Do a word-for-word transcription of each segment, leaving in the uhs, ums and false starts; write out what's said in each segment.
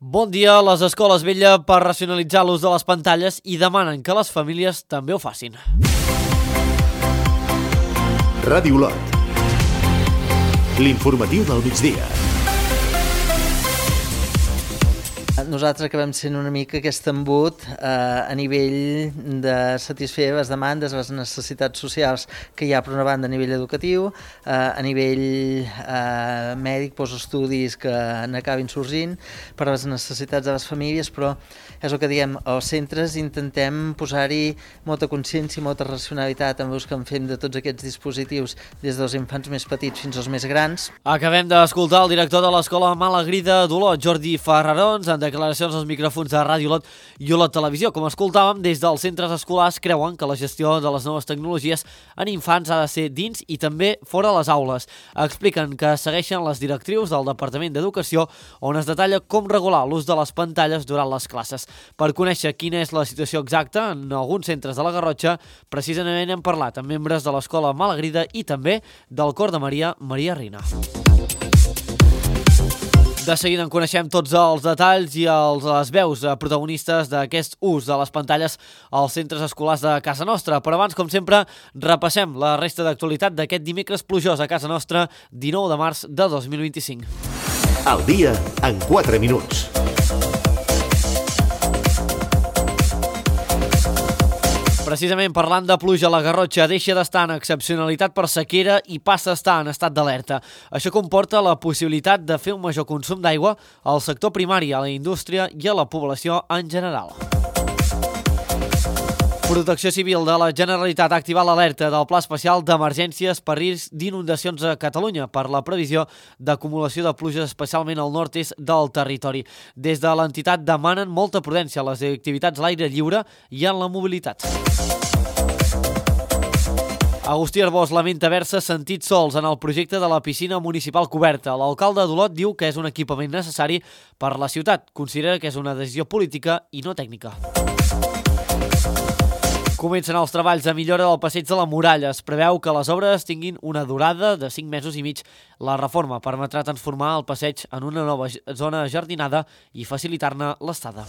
Bon dia, les escoles vetllen per racionalitzar l'ús de les pantalles i demanen que les famílies també ho facin. Ràdio Olot. L'informatiu del migdia. Nosaltres acabem sent una mica aquest embut eh, a nivell de satisfer les demandes, les necessitats socials que hi ha per una banda a nivell educatiu, eh, a nivell eh, mèdic, postestudis que n'acabin sorgint, per a les necessitats de les famílies, però és el que diem, als centres intentem posar-hi molta consciència i molta racionalitat en l'ús que en fem de tots aquests dispositius, des dels infants més petits fins als més grans. Acabem d'escoltar el director de l'Escola Malagrida d'Olot, Jordi Ferrarons, en declaracions als micròfons de Ràdio Olot i Olot Televisió. Com escoltàvem, des dels centres escolars creuen que la gestió de les noves tecnologies en infants ha de ser dins i també fora les aules. Expliquen que segueixen les directrius del Departament d'Educació, on es detalla com regular l'ús de les pantalles durant les classes. Per conèixer quina és la situació exacta en alguns centres de la Garrotxa, precisament hem parlat amb membres de l'Escola Malagrida i també del Cor de Maria, Maria Rina. De seguida en coneixem tots els detalls i els, les veus protagonistes d'aquest ús de les pantalles als centres escolars de casa nostra. Però abans, com sempre, repassem la resta d'actualitat d'aquest dimecres plujós a casa nostra, dinou de març de dos mil vint-i-cinc. El dia en quatre minuts. Precisament parlant de pluja, la Garrotxa deixa d'estar en excepcionalitat per sequera i passa a estar en estat d'alerta. Això comporta la possibilitat de fer un major consum d'aigua al sector primari, a la indústria i a la població en general. Protecció Civil de la Generalitat ha activat l'alerta del Pla Especial d'Emergències per risc d'inundacions a Catalunya per la previsió d'acumulació de pluja especialment al nord-est del territori. Des de l'entitat demanen molta prudència a les activitats a l'aire lliure i en la mobilitat. Agustí Arbós lamenta haver-se sentit sols en el projecte de la piscina municipal coberta. L'alcalde d'Olot diu que és un equipament necessari per a la ciutat. Considera que és una decisió política i no tècnica. Comencen els treballs de millora del passeig de la Muralla. Es preveu que les obres tinguin una durada de cinc mesos i mig. La reforma permetrà transformar el passeig en una nova zona jardinada i facilitar-ne l'estada.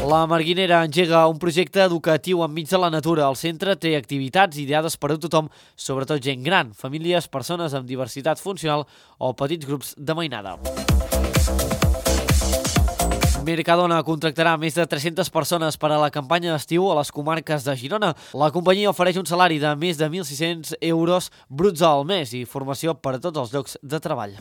La Marguinera engega un projecte educatiu enmig de la natura. El centre té activitats ideades per a tothom, sobretot gent gran, famílies, persones amb diversitat funcional o petits grups de mainada. Mercadona contractarà més de tres-centes persones per a la campanya d'estiu a les comarques de Girona. La companyia ofereix un salari de més de mil sis-cents euros bruts al mes i formació per a tots els llocs de treball.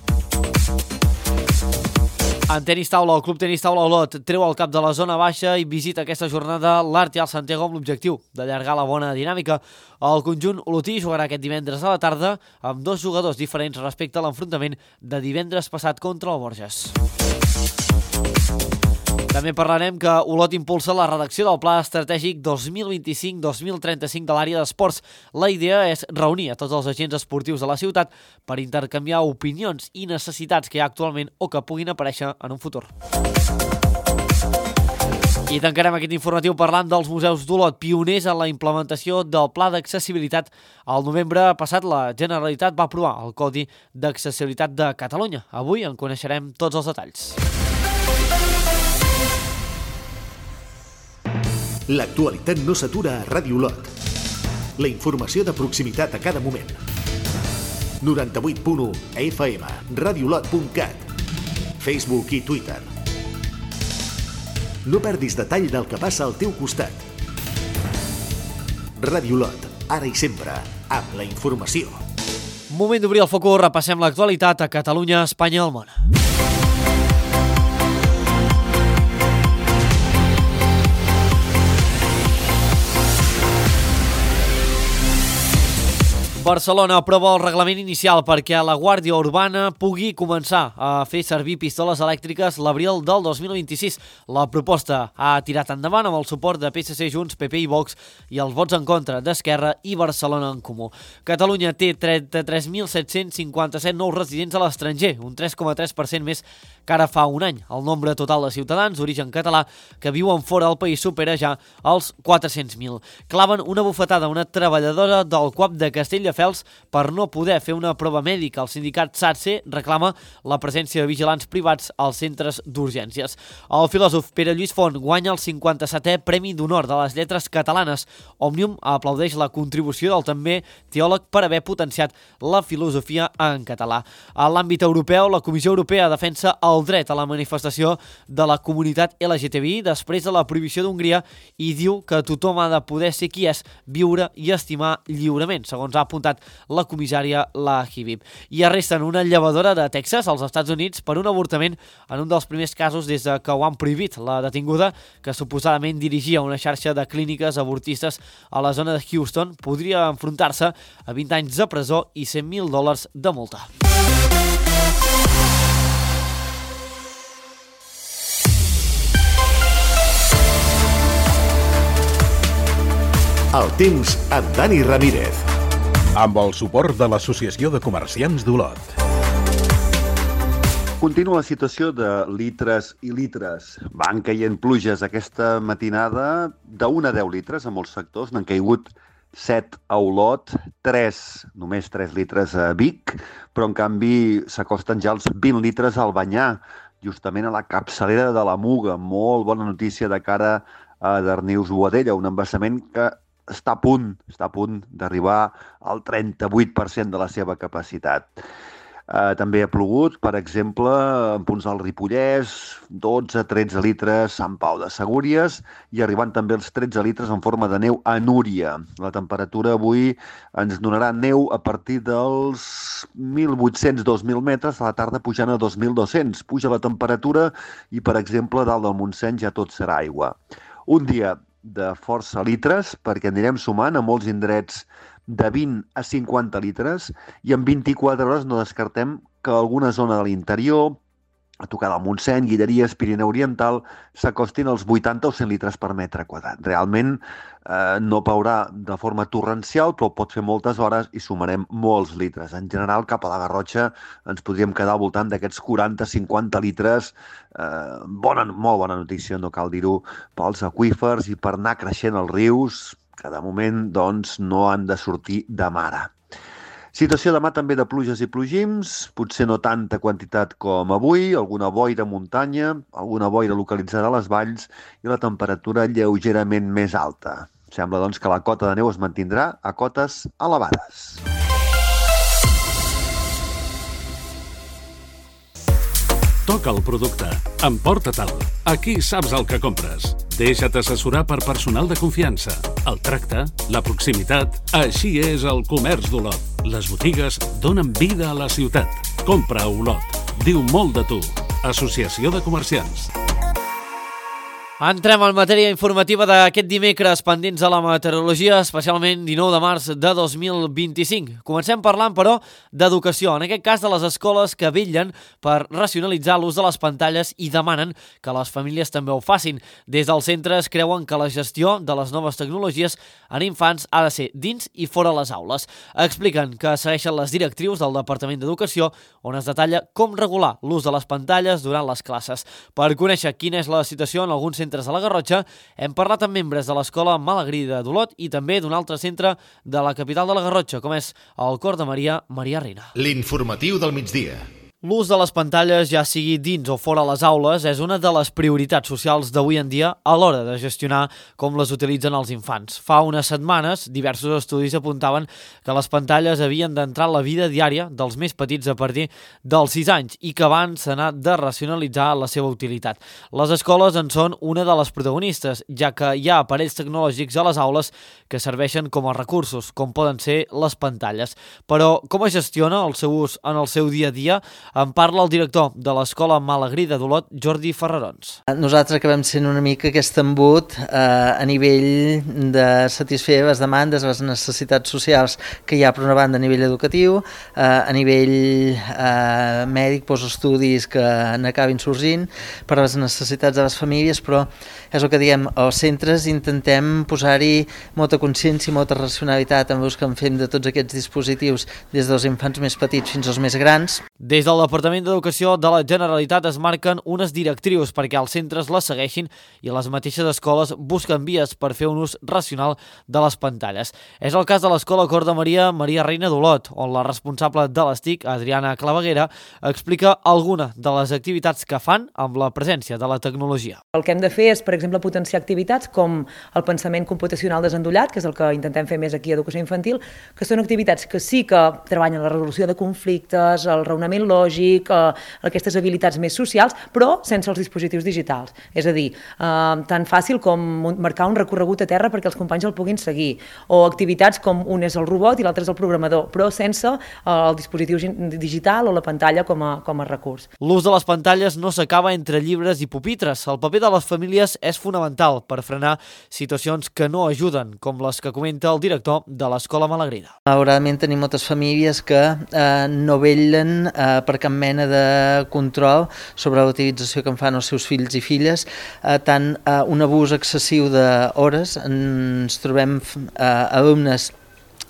En tenis taula, el Club Tenis Taula Olot treu el cap de la zona baixa i visita aquesta jornada l'Art i el Santiago amb l'objectiu d'allargar la bona dinàmica. El conjunt olotí jugarà aquest divendres a la tarda amb dos jugadors diferents respecte a l'enfrontament de divendres passat contra el Borges. També parlarem que Olot impulsa la redacció del Pla Estratègic dos mil vint-i-cinc dos mil trenta-cinc de l'àrea d'esports. La idea és reunir a tots els agents esportius de la ciutat per intercanviar opinions i necessitats que hi ha actualment o que puguin aparèixer en un futur. I tancarem aquest informatiu parlant dels museus d'Olot, pioners en la implementació del Pla d'Accessibilitat. Al novembre passat, la Generalitat va aprovar el Codi d'Accessibilitat de Catalunya. Avui en coneixerem tots els detalls. L'actualitat no s'atura a Ràdio Olot. La informació de proximitat a cada moment. noranta-vuit punt u F M, radiolot punt cat, Facebook i Twitter. No perdis detall del que passa al teu costat. Ràdio Olot, ara i sempre, amb la informació. Moment d'obrir el focus, repassem l'actualitat a Catalunya, Espanya i el món. Barcelona aprova el reglament inicial perquè la Guàrdia Urbana pugui començar a fer servir pistoles elèctriques l'abril del dos mil vint-i-sis. La proposta ha tirat endavant amb el suport de P S C, Junts, P P i Vox i els vots en contra d'Esquerra i Barcelona en Comú. Catalunya té trenta-tres mil set-cents cinquanta-set nous residents a l'estranger, un tres coma tres per cent més que ara fa un any. El nombre total de ciutadans d'origen català que viuen fora del país supera ja els quatre-cents mil. Claven una bufetada a una treballadora del C U A P de Castella Castelldefels per no poder fer una prova mèdica. El sindicat SATSE reclama la presència de vigilants privats als centres d'urgències. El filòsof Pere Lluís Font guanya el cinquanta-setè Premi d'Honor de les Lletres Catalanes. Òmnium aplaudeix la contribució del també teòleg per haver potenciat la filosofia en català. A l'àmbit europeu, la Comissió Europea defensa el dret a la manifestació de la comunitat L G T B I després de la prohibició d'Hongria i diu que tothom ha de poder ser qui és, viure i estimar lliurement, segons ha apuntat la comissària Lahibib. I arresten una llevadora de Texas, als Estats Units, per un avortament en un dels primers casos des de que ho han prohibit. La detinguda, que suposadament dirigia una xarxa de clíniques avortistes a la zona de Houston, podria enfrontar-se a vint anys de presó i cent mil dòlars de multa. El temps amb Dani Ramírez. Amb el suport de l'Associació de Comerciants d'Olot. Continua la situació de litres i litres. Van caient pluges aquesta matinada d'un a deu litres a molts sectors. N'han caigut set a Olot, tres, només tres litres a Vic, però en canvi s'acosten ja els vint litres al Banyà, justament a la capçalera de la Muga. Molt bona notícia de cara a Darnius-Boadella, un embassament que està a punt, està a punt d'arribar al trenta-vuit per cent de la seva capacitat. Eh, també ha plogut, per exemple, en punts del Ripollès, dotze a tretze litres a Sant Pau de Segúries i arribant també els tretze litres en forma de neu a Núria. La temperatura avui ens donarà neu a partir dels mil vuit-cents a dos mil metres, a la tarda pujant a dos mil dos-cents. Puja la temperatura i, per exemple, dalt del Montseny ja tot serà aigua. Un dia de força litres, perquè anirem sumant a molts indrets de vint a cinquanta litres i en vint-i-quatre hores no descartem que alguna zona de l'interior, a tocar del Montseny, Guilleries, Pirineu Oriental, s'acostin als vuitanta o cent litres per metre quadrat. Realment eh, no plourà de forma torrencial, però pot fer moltes hores i sumarem molts litres. En general, cap a la Garrotxa ens podríem quedar al voltant d'aquests quaranta a cinquanta litres. Eh, bona, molt bona notícia, no cal dir-ho, pels aqüífers i per anar creixent els rius, que de moment doncs, no han de sortir de mare. Situació demà també de pluges i plogims, potser no tanta quantitat com avui, alguna boira a muntanya, alguna boira localitzada a les valls i la temperatura lleugerament més alta. Sembla doncs que la cota de neu es mantindrà a cotes elevades. Toca el producte, emporta-te'l. Aquí saps el que compres. Deixa't assessorar per personal de confiança. El tracte, la proximitat, així és el comerç d'Olot. Les botigues donen vida a la ciutat. Compra a Olot. Diu molt de tu. Associació de Comerciants. Entrem en matèria informativa d'aquest dimecres, pendents a la meteorologia, especialment dinou de març de dos mil vint-i-cinc. Comencem parlant, però, d'educació, en aquest cas de les escoles que vetllen per racionalitzar l'ús de les pantalles i demanen que les famílies també ho facin. Des dels centres creuen que la gestió de les noves tecnologies en infants ha de ser dins i fora les aules. Expliquen que segueixen les directrius del Departament d'Educació, on es detalla com regular l'ús de les pantalles durant les classes. Per conèixer quina és la situació en alguns centres de la Garrotxa, hem parlat amb membres de l'Escola Malagrida d'Olot i també d'un altre centre de la capital de la Garrotxa, com és el Cor de Maria, Maria Reina. L'informatiu del migdia. L'ús de les pantalles, ja sigui dins o fora les aules, és una de les prioritats socials d'avui en dia a l'hora de gestionar com les utilitzen els infants. Fa unes setmanes, diversos estudis apuntaven que les pantalles havien d'entrar a la vida diària dels més petits a partir dels sis anys i que abans s'ha anat de racionalitzar la seva utilitat. Les escoles en són una de les protagonistes, ja que hi ha aparells tecnològics a les aules que serveixen com a recursos, com poden ser les pantalles. Però com es gestiona el seu ús en el seu dia a dia? En parla el director de l'Escola Malagrida d'Olot, Jordi Ferrarons. Nosaltres acabem sent una mica aquest embut eh, a nivell de satisfer les demandes, les necessitats socials que hi ha per una banda a nivell educatiu, eh, a nivell eh, mèdic, postestudis que n'acabin sorgint, per a les necessitats de les famílies, però és el que diem, als centres intentem posar-hi molta consciència i molta racionalitat en l'ús que en fem de tots aquests dispositius des dels infants més petits fins als més grans. Des del Departament d'Educació de la Generalitat es marquen unes directrius perquè els centres les segueixin i les mateixes escoles busquen vies per fer un ús racional de les pantalles. És el cas de l'Escola Cor de Maria Maria Reina d'Olot, on la responsable de les T I C, Adriana Claveguera, explica alguna de les activitats que fan amb la presència de la tecnologia. El que hem de fer és, per exemple, potenciar activitats com el pensament computacional desendollat, que és el que intentem fer més aquí a Educació Infantil, que són activitats que sí que treballen la resolució de conflictes, el raonament lògic, eh, aquestes habilitats més socials, però sense els dispositius digitals. És a dir, eh, tan fàcil com marcar un recorregut a terra perquè els companys el puguin seguir, o activitats com un és el robot i l'altre és el programador, però sense eh, el dispositiu digital o la pantalla com a, com a recurs. L'ús de les pantalles no s'acaba entre llibres i pupitres. El paper de les famílies és fonamental per frenar situacions que no ajuden, com les que comenta el director de l'Escola Malagrida. Malauradament tenim moltes famílies que eh, no vetllen eh, per cap mena de control sobre la utilització que en fan els seus fills i filles, eh, tant eh, un abús excessiu d'hores. Ens trobem eh, alumnes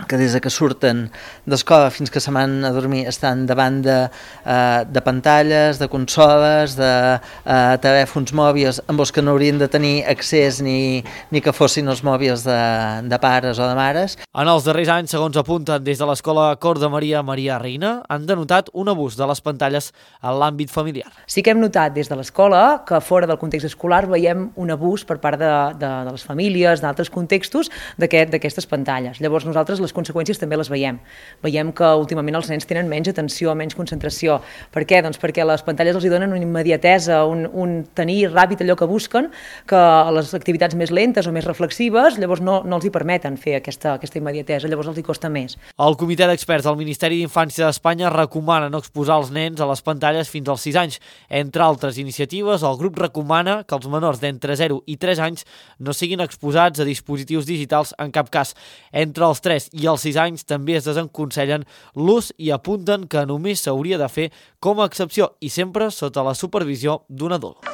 que des que surten d'escola fins que se van a dormir estan davant de, eh, de pantalles, de consoles, de eh, telèfons mòbils amb els que no haurien de tenir accés ni, ni que fossin els mòbils de, de pares o de mares. En els darrers anys, segons apunten des de l'Escola Cor de Maria Maria Reina, han denotat un abús de les pantalles en l'àmbit familiar. Sí que hem notat des de l'escola que fora del context escolar veiem un abús per part de, de, de les famílies, d'altres contextos, d'aquest, d'aquestes pantalles. Llavors nosaltres les conseqüències també les veiem. Veiem que últimament els nens tenen menys atenció, menys concentració. Per què? Doncs perquè les pantalles els donen una immediatesa, un, un tenir ràpid allò que busquen, que les activitats més lentes o més reflexives llavors no, no els hi permeten fer aquesta, aquesta immediatesa, llavors els hi costa més. El Comitè d'Experts del Ministeri d'Infància d'Espanya recomana no exposar els nens a les pantalles fins als sis anys. Entre altres iniciatives, el grup recomana que els menors d'entre zero i tres anys no siguin exposats a dispositius digitals en cap cas. Entre els tres i els sis anys també es desaconsellen l'ús i apunten que només s'hauria de fer com a excepció i sempre sota la supervisió d'un adult.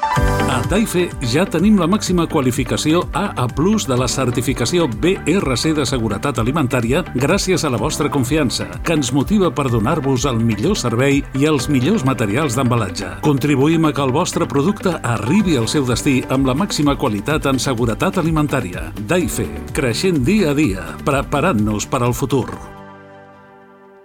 A Taife ja tenim la màxima qualificació A A plus de la certificació B R C de seguretat alimentària gràcies a la vostra confiança, que ens motiva per donar-vos el millor servei i els millors materials d'embalatge. Contribuïm a que el vostre producte arribi al seu destí amb la màxima qualitat en seguretat alimentària. Taife, creixent dia a dia, preparant-nos per al futur.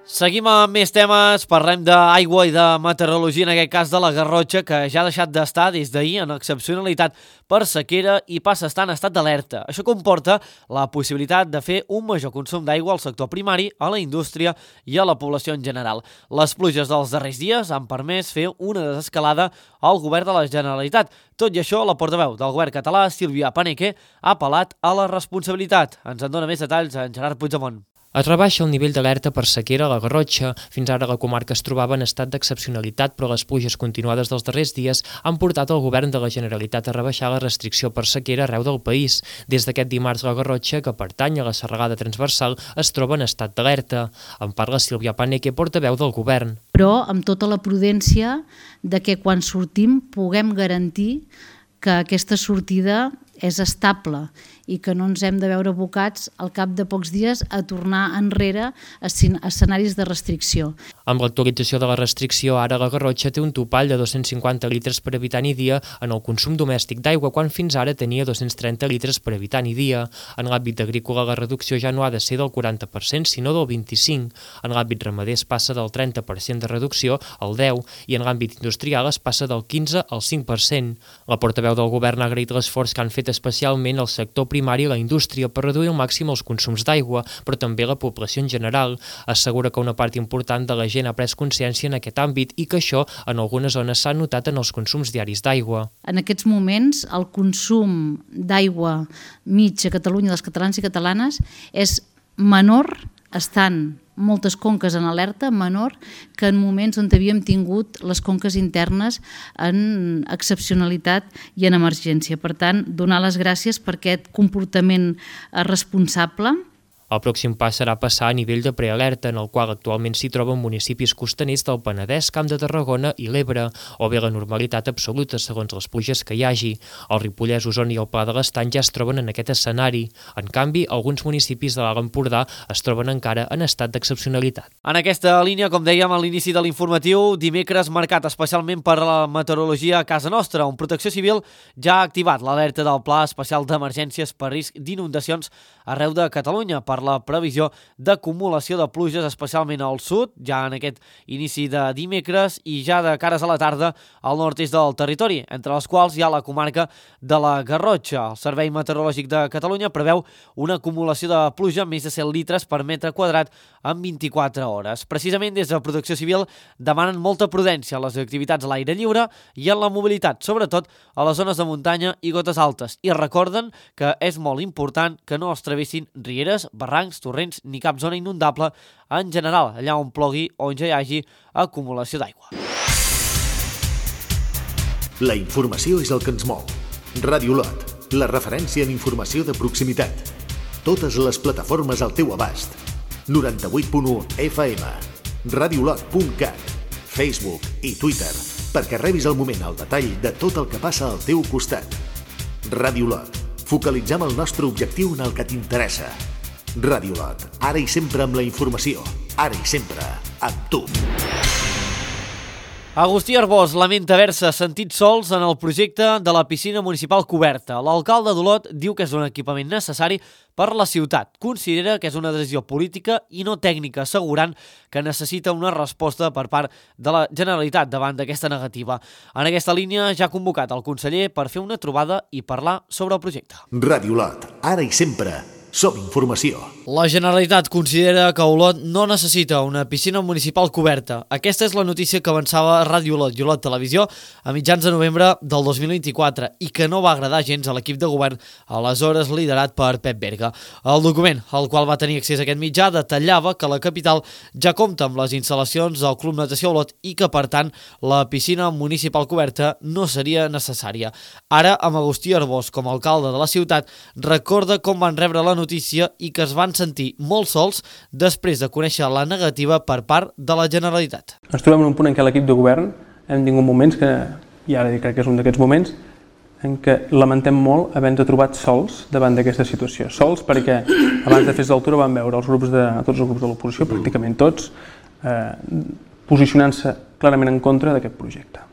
Seguim amb més temes, parlem d'aigua i de meteorologia, en aquest cas de la Garrotxa, que ja ha deixat d'estar des d'ahir en excepcionalitat per sequera i passa a estar en estat d'alerta. Això comporta la possibilitat de fer un major consum d'aigua al sector primari, a la indústria i a la població en general. Les pluges dels darrers dies han permès fer una desescalada al govern de la Generalitat. Tot i això, la portaveu del govern català, Sílvia Paneque, ha apel·lat a la responsabilitat. Ens en dona més detalls en Gerard Puigdemont. Es rebaixa el nivell d'alerta per sequera a la Garrotxa. Fins ara la comarca es trobava en estat d'excepcionalitat, però les pluges continuades dels darrers dies han portat el govern de la Generalitat a rebaixar la restricció per sequera arreu del país. Des d'aquest dimarts la Garrotxa, que pertany a la serralada transversal, es troba en estat d'alerta. En parla Sílvia Paneque, portaveu del govern. Però amb tota la prudència de que quan sortim puguem garantir que aquesta sortida és estable i que no ens hem de veure abocats al cap de pocs dies a tornar enrere a escenaris de restricció. Amb l'actualització de la restricció, ara la Garrotxa té un topall de dos-cents cinquanta litres per habitant i dia en el consum domèstic d'aigua, quan fins ara tenia dos-cents trenta litres per habitant i dia. En l'àmbit agrícola, la reducció ja no ha de ser del quaranta per cent, sinó del vint-i-cinc per cent. En l'àmbit ramader es passa del trenta per cent de reducció al deu per cent i en l'àmbit industrial es passa del quinze al cinc per cent. La portaveu del govern ha agraït l'esforç que han fet especialment el sector primari i la indústria per reduir al màxim els consums d'aigua, però també la població en general. Assegura que una part important de la gent ha pres consciència en aquest àmbit i que això en algunes zones s'ha notat en els consums diaris d'aigua. En aquests moments el consum d'aigua mig a Catalunya dels catalans i catalanes és menor, estan moltes conques en alerta, menor que en moments on havíem tingut les conques internes en excepcionalitat i en emergència. Per tant, donar les gràcies per aquest comportament responsable. El pròxim pas serà passar a nivell de prealerta, en el qual actualment s'hi troben municipis costaners del Penedès, Camp de Tarragona i l'Ebre, o bé la normalitat absoluta segons les pluges que hi hagi. El Ripollès, Osona i el Pla de l'Estany ja es troben en aquest escenari. En canvi, alguns municipis de l'Alt Empordà es troben encara en estat d'excepcionalitat. En aquesta línia, com dèiem a l'inici de l'informatiu, dimecres marcat especialment per la meteorologia a casa nostra, on Protecció Civil ja ha activat l'alerta del Pla Especial d'Emergències per risc d'inundacions arreu de Catalunya per la previsió d'acumulació de pluges, especialment al sud, ja en aquest inici de dimecres, i ja de cares a la tarda al nord-est del territori, entre les quals hi ha la comarca de la Garrotxa. El Servei Meteorològic de Catalunya preveu una acumulació de pluja més de cent litres per metre quadrat en vint-i-quatre hores. Precisament des de Protecció Civil demanen molta prudència a les activitats a l'aire lliure i en la mobilitat, sobretot a les zones de muntanya i gotes altes, i recorden que és molt important que no es travessin rieres, barrancs, torrents ni cap zona inundable en general, allà on plogui o on ja hi hagi acumulació d'aigua. La informació és el que ens mou. Ràdio Lot, la referència en informació de proximitat. Totes les plataformes al teu abast. noranta-vuit punt u F M, radiolot punt cat, Facebook i Twitter, perquè rebis al moment el detall de tot el que passa al teu costat. Ràdio Lot, focalitzem el nostre objectiu en el que t'interessa. Ràdio Lot, ara i sempre amb la informació, ara i sempre amb tu. Agustí Arbós lamenta haver-se sentit sols en el projecte de la piscina municipal coberta. L'alcalde d'Olot diu que és un equipament necessari per la ciutat. Considera que és una decisió política i no tècnica, assegurant que necessita una resposta per part de la Generalitat davant d'aquesta negativa. En aquesta línia ja ha convocat el conseller per fer una trobada i parlar sobre el projecte. Ràdio Lot, ara i sempre som informació. La Generalitat considera que Olot no necessita una piscina municipal coberta. Aquesta és la notícia que avançava Ràdio Olot i Olot Televisió a mitjans de novembre del dos mil vint-i-quatre i que no va agradar gens a l'equip de govern, aleshores liderat per Pep Berga. El document, al qual va tenir accés aquest mitjà, detallava que la capital ja compta amb les instal·lacions del Club Natació Olot i que, per tant, la piscina municipal coberta no seria necessària. Ara, amb Agustí Arbós com a alcalde de la ciutat, recorda com van rebre la notícia i que es van sentir molt sols després de conèixer la negativa per part de la Generalitat. Ens trobem en un punt en què l'equip de govern hem tingut moments que, i ara crec que és un d'aquests moments, en què lamentem molt haver-nos trobat sols davant d'aquesta situació. Sols perquè abans de fer l'altura vam veure els grups de, tots els grups de l'oposició, pràcticament tots, eh, posicionant-se clarament en contra d'aquest projecte,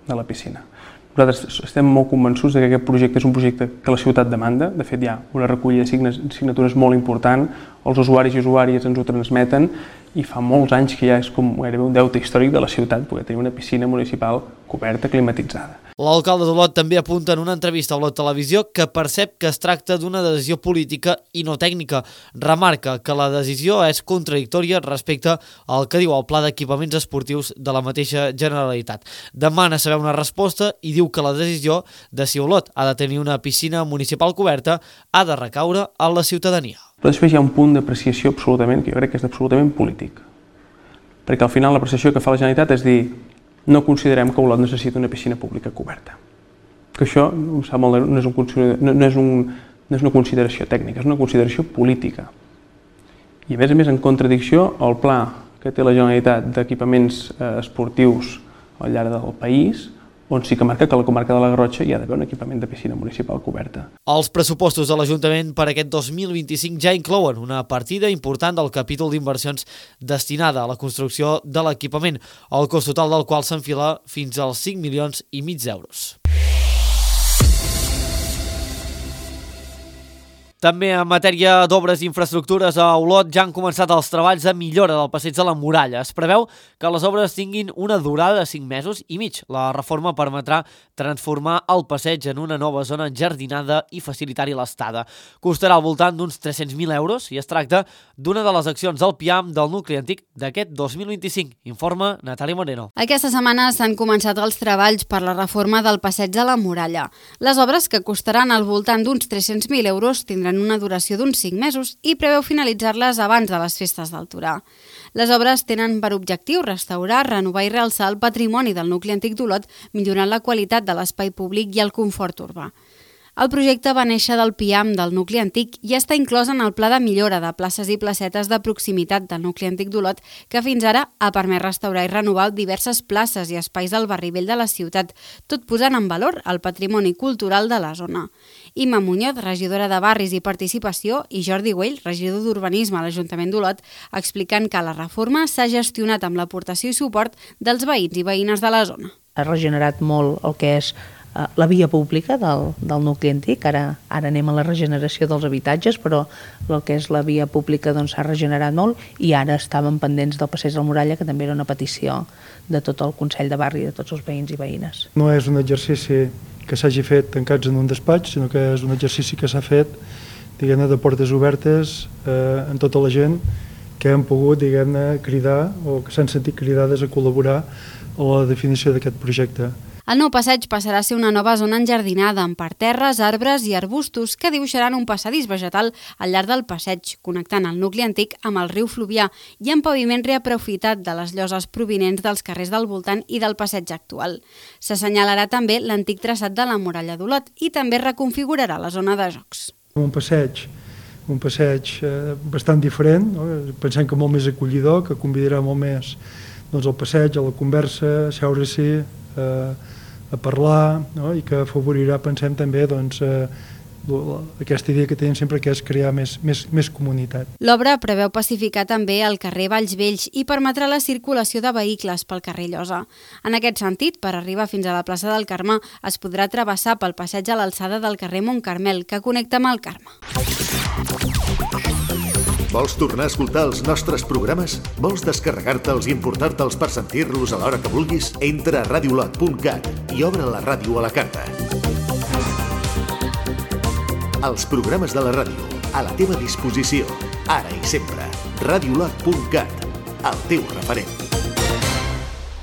de la piscina. Nosaltres estem molt convençuts que aquest projecte és un projecte que la ciutat demanda. De fet, hi ha una recollida de signatures molt important, els usuaris i usuàries ens ho transmeten i fa molts anys que ja és com gairebé un deute històric de la ciutat poder tenir una piscina municipal coberta, climatitzada. L'alcalde d'Olot també apunta en una entrevista a Olot Televisió que percep que es tracta d'una decisió política i no tècnica. Remarca que la decisió és contradictòria respecte al que diu el Pla d'Equipaments Esportius de la mateixa Generalitat. Demana saber una resposta i diu que la decisió de si Olot ha de tenir una piscina municipal coberta ha de recaure a la ciutadania. Però després hi ha un punt d'apreciació absolutament, que jo crec que és absolutament polític. Perquè al final l'apreciació que fa la Generalitat és dir no considerem que Olot necessita una piscina pública coberta. Que això no és, un, no, és un, no és una consideració tècnica, és una consideració política. I a més a més en contradicció al pla que té la Generalitat d'equipaments eh, esportius al llarg del país, on sí que marca que a la comarca de la Garrotxa hi ha d'haver un equipament de piscina municipal coberta. Els pressupostos de l'Ajuntament per aquest dos mil vint-i-cinc ja inclouen una partida important del capítol d'inversions destinada a la construcció de l'equipament, el cost total del qual s'enfila fins als cinc milions i mig d'euros. També en matèria d'obres i infraestructures a Olot ja han començat els treballs de millora del passeig de la Muralla. Es preveu que les obres tinguin una durada de cinc mesos i mig. La reforma permetrà transformar el passeig en una nova zona enjardinada i facilitar-hi l'estada. Costarà al voltant d'uns tres-cents mil euros i es tracta d'una de les accions del P I A M del nucli antic d'aquest dos mil vint-i-cinc, informa Natàlia Moreno. Aquesta setmana s'han començat els treballs per la reforma del passeig de la Muralla. Les obres, que costaran al voltant d'uns tres-cents mil euros, tindran una duració d'uns cinc mesos i preveu finalitzar-les abans de les festes del Torà. Les obres tenen per objectiu restaurar, renovar i realçar el patrimoni del nucli antic d'Olot, millorant la qualitat de l'espai públic i el confort urbà. El projecte va néixer del P I A M del nucli antic i està inclòs en el Pla de Millora de Places i Placetes de Proximitat del nucli antic d'Olot, que fins ara ha permès restaurar i renovar diverses places i espais del barri vell de la ciutat, tot posant en valor el patrimoni cultural de la zona. Imma Muñoz, regidora de Barris i Participació, i Jordi Güell, regidor d'Urbanisme a l'Ajuntament d'Olot, explicant que la reforma s'ha gestionat amb l'aportació i suport dels veïns i veïnes de la zona. Ha regenerat molt el que és la via pública del, del nucli antic, ara, ara anem a la regeneració dels habitatges, però el que és la via pública s'ha doncs, regenerat molt i ara estàvem pendents del passeig de la Muralla, que també era una petició de tot el Consell de Barri, de tots els veïns i veïnes. No és un exercici que s'hagi fet tancats en un despatx, sinó que és un exercici que s'ha fet diguem-ne de portes obertes eh, en tota la gent que han pogut diguem-ne cridar o que s'han sentit cridades a col·laborar a la definició d'aquest projecte. El nou passeig passarà a ser una nova zona enjardinada amb parterres, arbres i arbustos que dibuixaran un passadís vegetal al llarg del passeig, connectant el nucli antic amb el riu Fluvià i amb paviment reaprofitat de les lloses provinents dels carrers del voltant i del passeig actual. S'assenyalarà també l'antic traçat de la muralla d'Olot i també reconfigurarà la zona de jocs. Un passeig, un passeig eh, bastant diferent, no? Pensem que molt més acollidor, que convidarà molt més doncs, el passeig, a la conversa, a seure-s'hi, eh, a parlar, no? I que afavorirà, pensem també, doncs, eh, aquesta idea que tenim sempre, que és crear més, més, més comunitat. L'obra preveu pacificar també el carrer Valls Vells i permetrà la circulació de vehicles pel carrer Llosa. En aquest sentit, per arribar fins a la plaça del Carme, es podrà travessar pel passeig a l'alçada del carrer Montcarmel, que connecta amb el Carme. Vols tornar a escoltar els nostres programes? Vols descarregar-te'ls i importar-te'ls per sentir-los a l'hora que vulguis? Entra a radiolot punt cat i obre la ràdio a la carta. Els programes de la ràdio, a la teva disposició, ara i sempre. radiolot punt cat, el teu referent.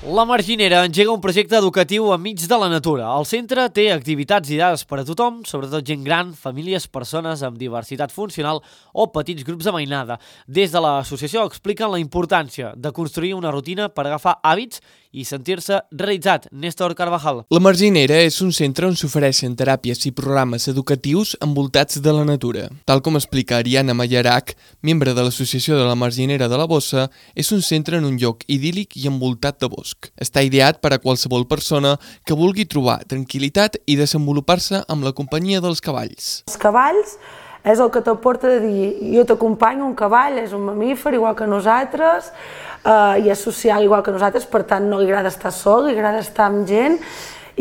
La Marginera engega un projecte educatiu enmig de la natura. El centre té activitats ideades per a tothom, sobretot gent gran, famílies, persones amb diversitat funcional o petits grups de mainada. Des de l'associació expliquen la importància de construir una rutina per agafar hàbits i sentir-se realitzat. Néstor Carvajal. La Marginera és un centre on s'ofereixen teràpies i programes educatius envoltats de la natura. Tal com explica Ariana Mayarac, membre de l'Associació de la Marginera de la Bossa, és un centre en un lloc idíl·lic i envoltat de bosc. Està ideat per a qualsevol persona que vulgui trobar tranquil·litat i desenvolupar-se amb la companyia dels cavalls. Els cavalls és el que t'aporta de dir, jo t'acompanyo, un cavall és un mamífer igual que nosaltres, eh, i és social igual que nosaltres, per tant no li agrada estar sol, li agrada estar amb gent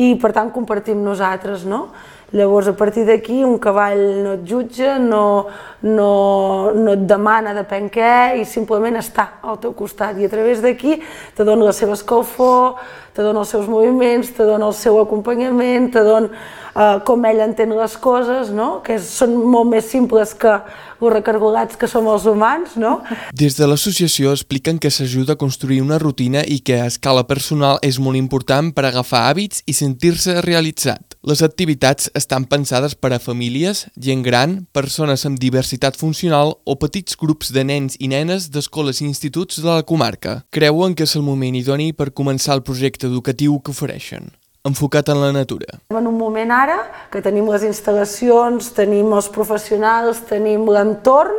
i per tant compartim nosaltres, no? Llavors, a partir d'aquí, un cavall no et jutja, no, no, no et demana depèn què, i simplement està al teu costat. I a través d'aquí te dona la seva escalfor, te dona els seus moviments, te dona el seu acompanyament, te dona eh, com ell entén les coses, no? Que són molt més simples que els recargolats que som els humans, no? Des de l'associació expliquen que s'ajuda a construir una rutina i que a escala personal és molt important per agafar hàbits i sentir-se realitzat. Les activitats estan pensades per a famílies, gent gran, persones amb diversitat funcional o petits grups de nens i nenes d'escoles i instituts de la comarca. Creuen que és el moment idoni per començar el projecte educatiu que ofereixen, enfocat en la natura. En un moment ara que tenim les instal·lacions, tenim els professionals, tenim l'entorn,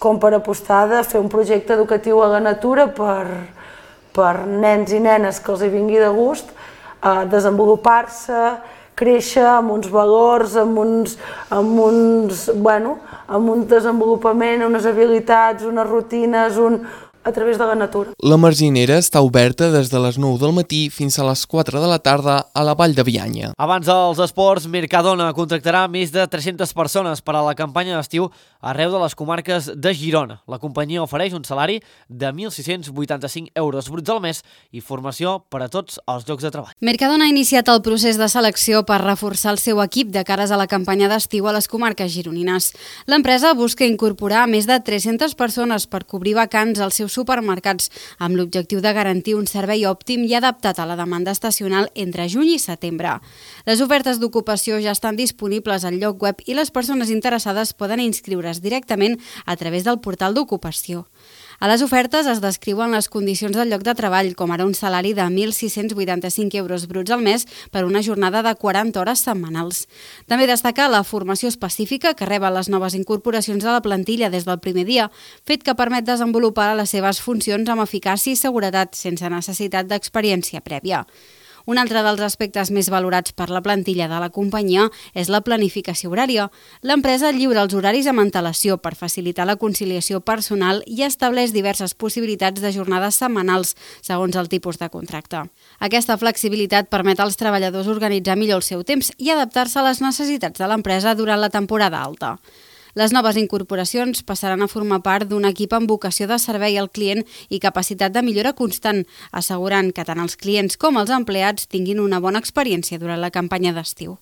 com per apostar de fer un projecte educatiu a la natura per, per nens i nenes que els hi vingui de gust, a desenvolupar-se, créixer amb uns valors, amb uns, amb uns, bueno, amb un desenvolupament, unes habilitats, unes rutines, un, a través de la natura. La Marginera està oberta des de les nou del matí fins a les quatre de la tarda a la Vall de Bianya. Abans dels esports, Mercadona contractarà més de tres-centes persones per a la campanya d'estiu arreu de les comarques de Girona. La companyia ofereix un salari de mil sis-cents vuitanta-cinc euros bruts al mes i formació per a tots els llocs de treball. Mercadona ha iniciat el procés de selecció per reforçar el seu equip de cares a la campanya d'estiu a les comarques gironines. L'empresa busca incorporar més de tres-centes persones per cobrir vacants als seus supermercats, amb l'objectiu de garantir un servei òptim i adaptat a la demanda estacional entre juny i setembre. Les ofertes d'ocupació ja estan disponibles al lloc web i les persones interessades poden inscriure's directament a través del portal d'ocupació. A les ofertes es descriuen les condicions del lloc de treball, com ara un salari de mil sis-cents vuitanta-cinc euros bruts al mes per una jornada de quaranta hores setmanals. També destaca la formació específica que reben les noves incorporacions de la plantilla des del primer dia, fet que permet desenvolupar les seves funcions amb eficàcia i seguretat sense necessitat d'experiència prèvia. Un altre dels aspectes més valorats per la plantilla de la companyia és la planificació horària. L'empresa lliura els horaris amb antelació per facilitar la conciliació personal i estableix diverses possibilitats de jornades setmanals, segons el tipus de contracte. Aquesta flexibilitat permet als treballadors organitzar millor el seu temps i adaptar-se a les necessitats de l'empresa durant la temporada alta. Les noves incorporacions passaran a formar part d'un equip amb vocació de servei al client i capacitat de millora constant, assegurant que tant els clients com els empleats tinguin una bona experiència durant la campanya d'estiu.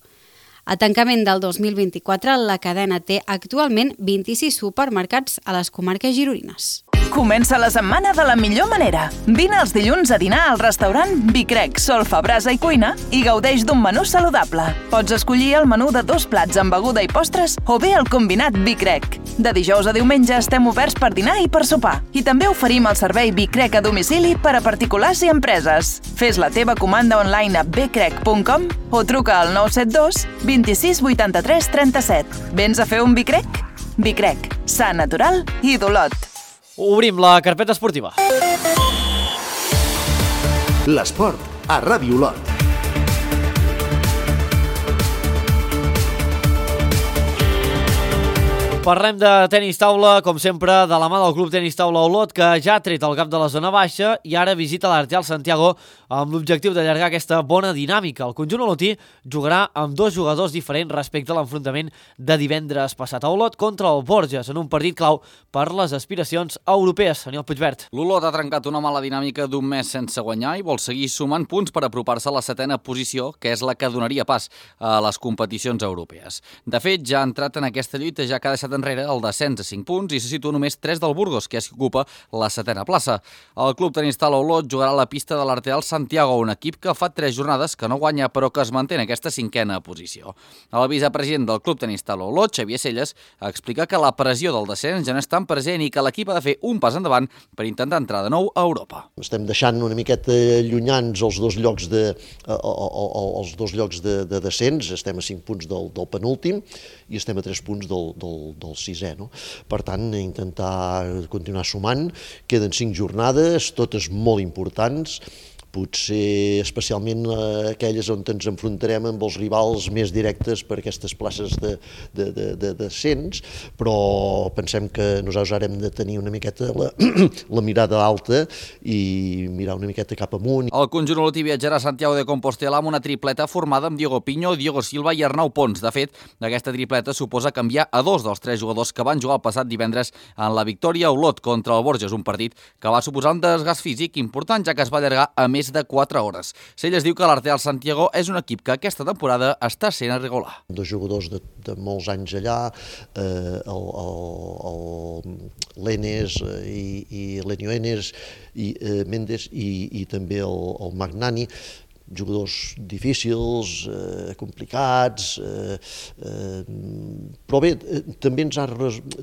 A tancament del dos mil vint-i-quatre, la cadena té actualment vint-i-sis supermercats a les comarques gironines. Comença la setmana de la millor manera. Vine els dilluns a dinar al restaurant Vicrec, Solfa, Brasa i Cuina i gaudeix d'un menú saludable. Pots escollir el menú de dos plats amb beguda i postres o bé el combinat Vicrec. De dijous a diumenge estem oberts per dinar i per sopar. I també oferim el servei Vicrec a domicili per a particulars i empreses. Fes la teva comanda online a becrec punt com o truca al nou set dos vint-i-sis vuitanta-tres trenta-set. Vens a fer un Vicrec? Vicrec, sa, natural i d'Olot. Obrim la carpeta esportiva. L'esport a Ràdio Olot. Parlem de tenis taula, com sempre, de la mà del Club Tenis Taula Olot, que ja ha tret el cap de la zona baixa i ara visita l'Arteal Santiago amb l'objectiu d'allargar aquesta bona dinàmica. El conjunt olotí jugarà amb dos jugadors diferents respecte a l'enfrontament de divendres passat a Olot contra el Borges, en un partit clau per les aspiracions europees. Daniel Puigvert. L'Olot ha trencat una mala dinàmica d'un mes sense guanyar i vol seguir sumant punts per apropar-se a la setena posició, que és la que donaria pas a les competicions europees. De fet, ja ha entrat en aquesta lluita, ja que ha deixat enrere el descens a cinc punts i se situa només tres del Burgos, que és qui ocupa la setena plaça. El Club Tenis Taula Olot jugarà a la pista de l'Arteal Santiago, un equip que fa tres jornades que no guanya però que es manté en aquesta cinquena posició. El vicepresident del Club Tenis Taula Olot, Xavier Celles, explica que la pressió del descens ja no és tan present i que l'equip ha de fer un pas endavant per intentar entrar de nou a Europa. Estem deixant una miqueta llunyans els dos llocs de, els dos llocs de, de descens, estem a cinc punts del, del penúltim i estem a tres punts del, del, del sisè. No? Per tant, intentar continuar sumant, queden cinc jornades, totes molt importants, potser especialment aquelles on ens enfrontarem amb els rivals més directes per aquestes places de, de, de, de descens, però pensem que nosaltres ara hem de tenir una miqueta la, la mirada alta i mirar una miqueta cap amunt. El conjunt olotí viatjarà a Santiago de Compostela amb una tripleta formada amb Diego Piño, Diego Silva i Arnau Pons. De fet, aquesta tripleta suposa canviar a dos dels tres jugadors que van jugar el passat divendres en la victòria a Olot contra el Borges, un partit que va suposar un desgast físic important, ja que es va allargar a més de quatre hores. Celles diu que l'Arteal Santiago és un equip que aquesta temporada està sent irregular. Dos jugadors de, de molts anys allà, eh, el, el, el l'Enes i, i l'Enio Enes i eh, Mendes i, i també el, el Magnani, jugadors difícils, eh, complicats, eh, eh, però bé, eh, també, ens ha,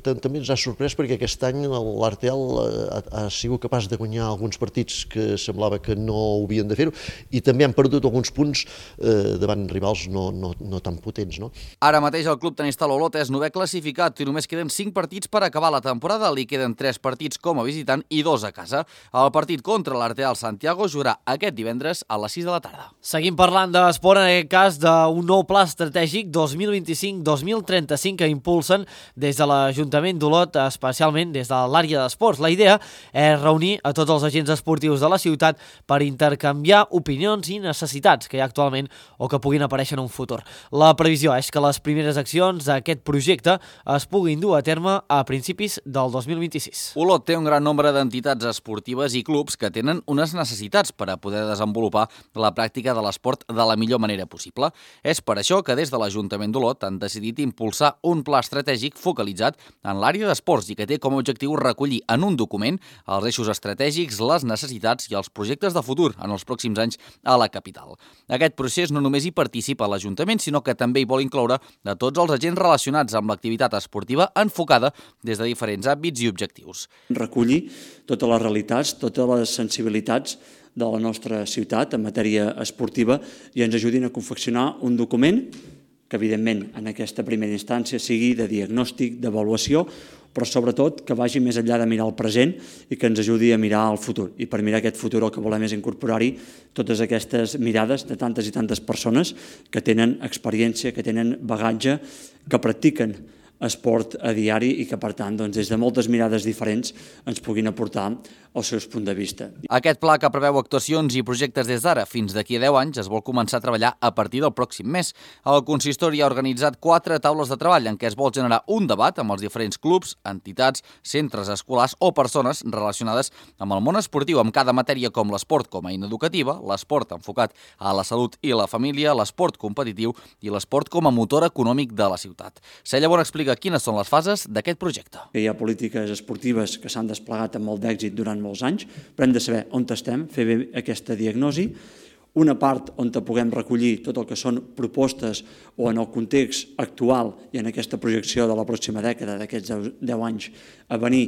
també ens ha sorprès perquè aquest any l'Arteal ha, ha sigut capaç de guanyar alguns partits que semblava que no havien de fer-ho i també han perdut alguns punts eh, davant rivals no, no, no tan potents. No? Ara mateix el Club Tenis Taula Olot és novè classificat i només queden cinc partits per acabar la temporada. Li queden tres partits com a visitant i dos a casa. El partit contra l'Arteal Santiago jugarà aquest divendres a les sis de la tarda. Seguim parlant d'esport, en aquest cas d'un nou pla estratègic dos mil vint-i-cinc dos mil trenta-cinc que impulsen des de l'Ajuntament d'Olot, especialment des de l'àrea d'esports. La idea és reunir a tots els agents esportius de la ciutat per intercanviar opinions i necessitats que hi ha actualment o que puguin aparèixer en un futur. La previsió és que les primeres accions d'aquest projecte es puguin dur a terme a principis del dos mil vint-i-sis. Olot té un gran nombre d'entitats esportives i clubs que tenen unes necessitats per a poder desenvolupar la pràctica pràctica de l'esport de la millor manera possible. És per això que des de l'Ajuntament d'Olot han decidit impulsar un pla estratègic focalitzat en l'àrea d'esports i que té com a objectiu recollir en un document els eixos estratègics, les necessitats i els projectes de futur en els pròxims anys a la capital. Aquest procés no només hi participa l'Ajuntament, sinó que també hi vol incloure a tots els agents relacionats amb l'activitat esportiva enfocada des de diferents àmbits i objectius. Recollir totes les realitats, totes les sensibilitats de la nostra ciutat en matèria esportiva i ens ajudin a confeccionar un document que, evidentment, en aquesta primera instància sigui de diagnòstic, d'avaluació, però sobretot que vagi més enllà de mirar el present i que ens ajudi a mirar el futur. I per mirar aquest futur el que volem és incorporar-hi totes aquestes mirades de tantes i tantes persones que tenen experiència, que tenen bagatge, que practiquen esport a diari i que, per tant, doncs, des de moltes mirades diferents ens puguin aportar els seus punts de vista. Aquest pla, que preveu actuacions i projectes des d'ara fins d'aquí a deu anys, es vol començar a treballar a partir del pròxim mes. El consistori ha organitzat quatre taules de treball en què es vol generar un debat amb els diferents clubs, entitats, centres escolars o persones relacionades amb el món esportiu, amb cada matèria com l'esport com a eina educativa, l'esport enfocat a la salut i la família, l'esport competitiu i l'esport com a motor econòmic de la ciutat. Cella Bona explica quines són les fases d'aquest projecte. Hi ha polítiques esportives que s'han desplegat amb molt d'èxit durant molts anys, però hem de saber on estem, fer bé aquesta diagnosi, una part on puguem recollir tot el que són propostes o en el context actual i en aquesta projecció de la pròxima dècada, d'aquests deu anys a venir,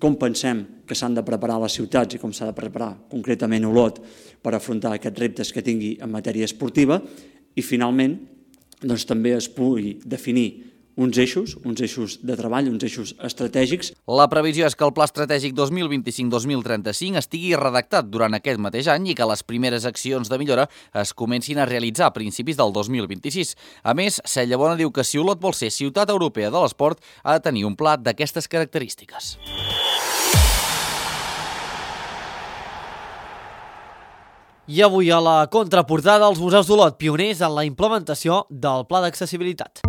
com pensem que s'han de preparar les ciutats i com s'ha de preparar concretament Olot per afrontar aquests reptes que tingui en matèria esportiva i, finalment, doncs, també es pugui definir uns eixos, uns eixos de treball, uns eixos estratègics. La previsió és que el Pla Estratègic dos mil vint-i-cinc dos mil trenta-cinc estigui redactat durant aquest mateix any i que les primeres accions de millora es comencin a realitzar a principis del dos mil vint-i-sis. A més, Cella Bona diu que si Olot vol ser ciutat europea de l'esport, ha de tenir un pla d'aquestes característiques. I avui a la contraportada els museus d'Olot, pioners en la implementació del Pla d'accessibilitat.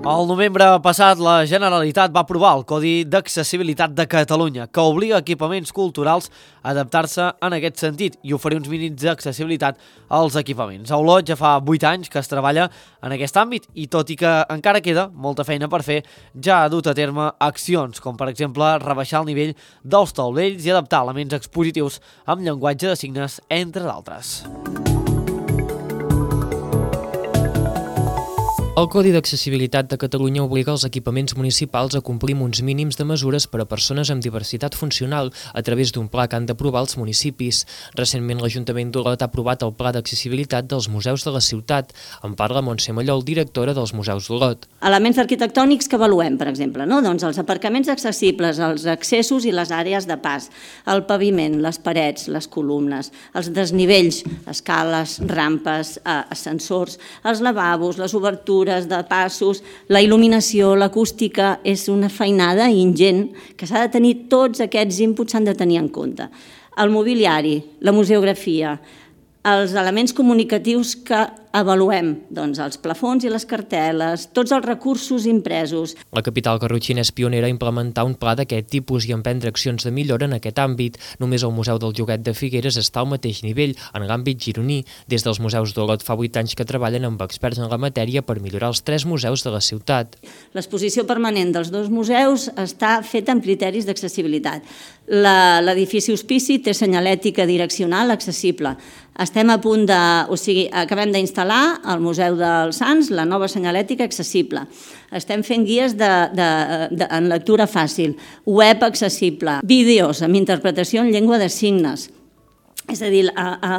El novembre passat, la Generalitat va aprovar el Codi d'Accessibilitat de Catalunya, que obliga equipaments culturals a adaptar-se en aquest sentit i oferir uns mínims d'accessibilitat als equipaments. A Olot ja fa vuit anys que es treballa en aquest àmbit i, tot i que encara queda molta feina per fer, ja ha dut a terme accions, com per exemple rebaixar el nivell dels taulells i adaptar elements expositius amb llenguatge de signes, entre d'altres. El Codi d'Accessibilitat de Catalunya obliga els equipaments municipals a complir amb uns mínims de mesures per a persones amb diversitat funcional a través d'un pla que han d'aprovar els municipis. Recentment, l'Ajuntament d'Olot ha aprovat el Pla d'Accessibilitat dels museus de la ciutat. En parla Montse Mallol, directora dels Museus d'Olot. Elements arquitectònics que avaluem, per exemple, no? Doncs els aparcaments accessibles, els accessos i les àrees de pas, el paviment, les parets, les columnes, els desnivells, escales, rampes, ascensors, els lavabos, les obertures, de passos, la il·luminació, l'acústica, és una feinada ingent que s'ha de tenir, tots aquests inputs s'han de tenir en compte. El mobiliari, la museografia, els elements comunicatius que avaluem, doncs els plafons i les cartel·les, tots els recursos impresos. La capital garrotxina és pionera a implementar un pla d'aquest tipus i emprendre accions de millora en aquest àmbit. Només el Museu del Joguet de Figueres està al mateix nivell, en l'àmbit gironí. Des dels Museus d'Olot fa vuit anys que treballen amb experts en la matèria per millorar els tres museus de la ciutat. L'exposició permanent dels dos museus està feta amb criteris d'accessibilitat. L'edifici hospici té senyalètica direccional accessible. Estem a punt de... O sigui, acabem d'instal·lar al Museu dels Sants la nova senyalètica accessible. Estem fent guies de, de, de, en lectura fàcil, web accessible, vídeos amb interpretació en llengua de signes. És a dir, a, a,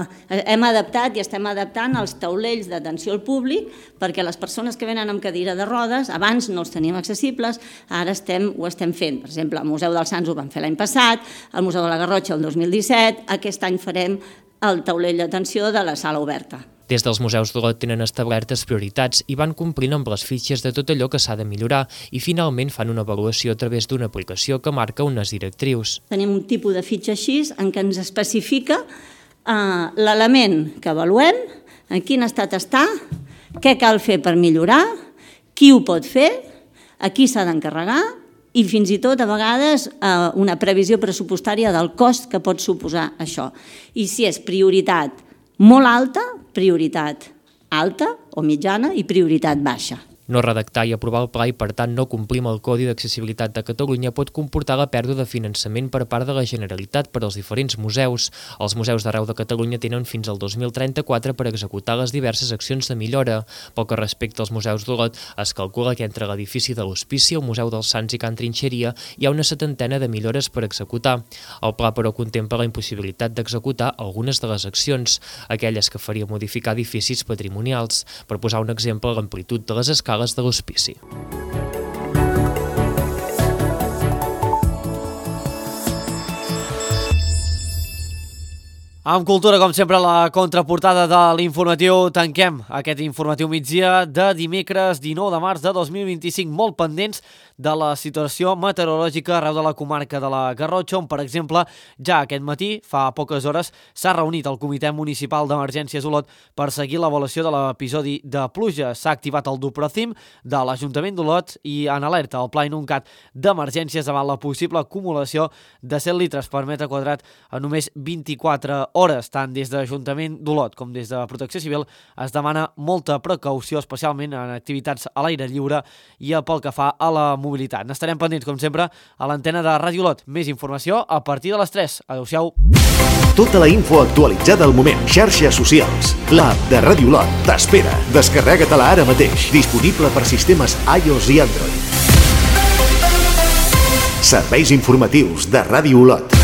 hem adaptat i estem adaptant els taulells d'atenció al públic perquè les persones que venen amb cadira de rodes, abans no els teníem accessibles, ara estem, ho estem fent. Per exemple, al Museu dels Sants ho vam fer l'any passat, al Museu de la Garrotxa el dos mil disset, aquest any farem el taulell d'atenció de la sala oberta. Des dels Museus d'Olot tenen establertes prioritats i van complint amb les fitxes de tot allò que s'ha de millorar i finalment fan una avaluació a través d'una aplicació que marca unes directrius. Tenim un tipus de fitxa així en què ens especifica eh, l'element que avaluem, en quin estat està, què cal fer per millorar qui ho pot fer, a qui s'ha d'encarregar i fins i tot a vegades una previsió pressupostària del cost que pot suposar això. I si és prioritat molt alta, prioritat alta o mitjana i prioritat baixa. No redactar i aprovar el pla i, per tant, no complir amb el Codi d'Accessibilitat de Catalunya pot comportar la pèrdua de finançament per part de la Generalitat per als diferents museus. Els museus d'arreu de Catalunya tenen fins al dos mil trenta-quatre per executar les diverses accions de millora. Pel que respecta als museus d'Olot, es calcula que entre l'edifici de l'Hospici, el Museu dels Sants i Can Trinxeria hi ha una setantena de millores per executar. El pla, però, contempla la impossibilitat d'executar algunes de les accions, aquelles que faria modificar edificis patrimonials. Per posar un exemple, l'amplitud de les escales de l'Hospici. Amb cultura, com sempre, la contraportada de l'informatiu. Tanquem aquest informatiu migdia de dimecres dinou de març de dos mil vint-i-cinc, molt pendents de la situació meteorològica arreu de la comarca de la Garrotxa, on, per exemple, ja aquest matí, fa poques hores, s'ha reunit el Comitè Municipal d'Emergències Olot per seguir l'avaluació de l'episodi de pluja. S'ha activat el Duprocim de l'Ajuntament d'Olot i en alerta el Pla Inuncat d'emergències davant la possible acumulació de set litres per metre quadrat en només vint-i-quatre hores. Tant des de l'Ajuntament d'Olot com des de Protecció Civil es demana molta precaució, especialment en activitats a l'aire lliure i pel que fa a la mobilitat. N'estarem pendents, com sempre, a l'antena de Ràdio Olot. Més informació a partir de les tres. Adéu-siau. Tota la info actualitzada al moment. Xarxes socials. L'app de Ràdio Olot t'espera. Descarrega-te-la ara mateix. Disponible per sistemes iOS i Android. Serveis informatius de Ràdio Olot.